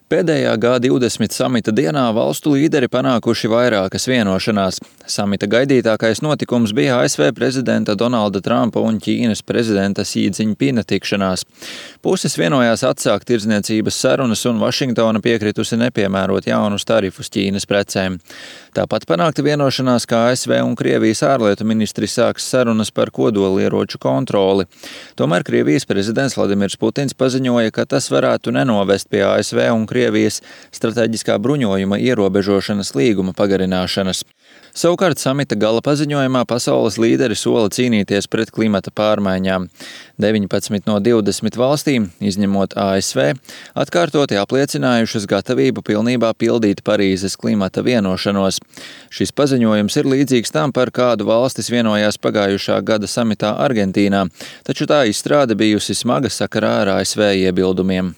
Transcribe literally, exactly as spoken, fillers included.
Pēdējā G divdesmit samita dienā valstu līderi panākuši vairākas vienošanās. Samita gaidītākais notikums bija A S V prezidenta Donalda Trumpa un Ķīnas prezidenta Sī Dziņpina tikšanās. Puses vienojās atsākt tirdzniecības sarunas un Vašingtona piekritusi nepiemērot jaunus tarifus Ķīnas precēm. Tāpat panākta vienošanās, ka A S V un Krievijas ārlietu ministri sāks sarunas par kodolieroču kontroli. Tomēr Krievijas prezidents Vladimirs Putins paziņoja, ka tas varētu nenovest pie A S V un Krievijas strateģiskā bruņojuma ierobežošanas līguma pagarināšanas. Savukārt samita gala paziņojumā pasaules līderi sola cīnīties pret klimata pārmaiņām. deviņpadsmit no divdesmit valstīm, izņemot A S V, atkārtoti apliecinājušas gatavību pilnībā pildīt Parīzes klimata vienošanos. Šis paziņojums ir līdzīgs tam, par kādu valstis vienojās pagājušā gada samitā Argentīnā, taču tā izstrāde bijusi smaga sakarā ar A S V iebildumiem.